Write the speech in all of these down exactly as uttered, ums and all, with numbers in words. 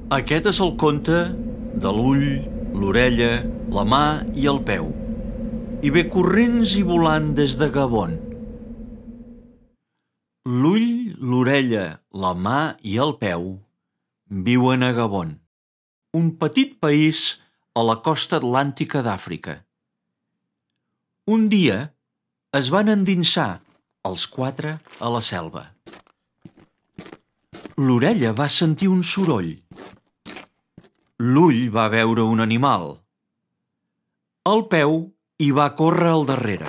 Aquest és el conte de l'ull, l'orella, la mà i el peu. I ve corrents i volant des de Gabon. L'ull, l'orella, la mà i el peu viuen a Gabon, un petit país a la costa atlàntica d'Àfrica. Un dia es van endinsar els quatre a la selva. L'orella va sentir un soroll. L'ull va veure un animal. El peu hi va córrer al darrere.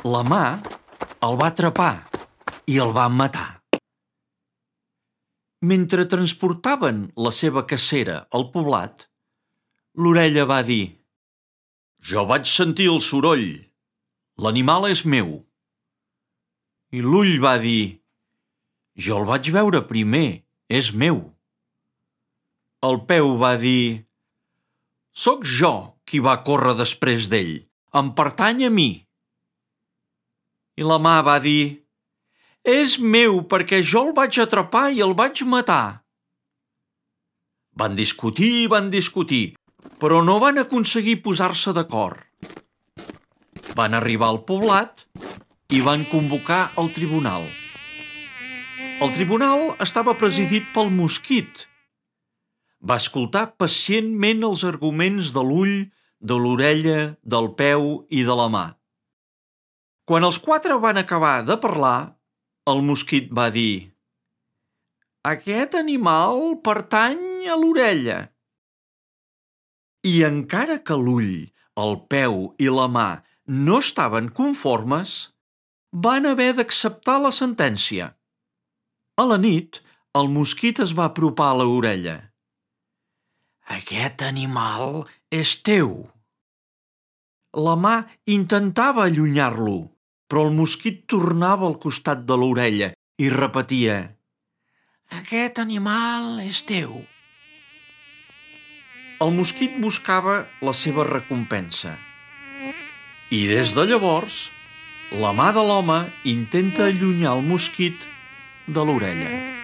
La mà el va atrapar i el va matar. Mentre transportaven la seva cacera al poblat, l'orella va dir: «Jo vaig sentir el soroll. L'animal és meu». I l'ull va dir: «Jo el vaig veure primer, és meu». El peu va dir: «Soc jo qui va córrer després d'ell, em pertany a mi». I la mà va dir: «És meu perquè jo el vaig atrapar i el vaig matar». Van discutir i van discutir, però no van aconseguir posar-se d'acord. Van arribar al poblat i van convocar el tribunal. El tribunal estava presidit pel mosquit. Va escoltar pacientment els arguments de l'ull, de l'orella, del peu i de la mà. Quan els quatre van acabar de parlar, el mosquit va dir: «Aquest animal pertany a l'orella». I encara que l'ull, el peu i la mà no estaven conformes, van haver d'acceptar la sentència. A la nit, el mosquit es va apropar a l'orella. «Aquest animal és teu». La mà intentava allunyar-lo, però el mosquit tornava al costat de l'orella i repetia: «Aquest animal és teu». El mosquit buscava la seva recompensa. I des de llavors, la mà de l'home intenta allunyar el mosquit de l'orella.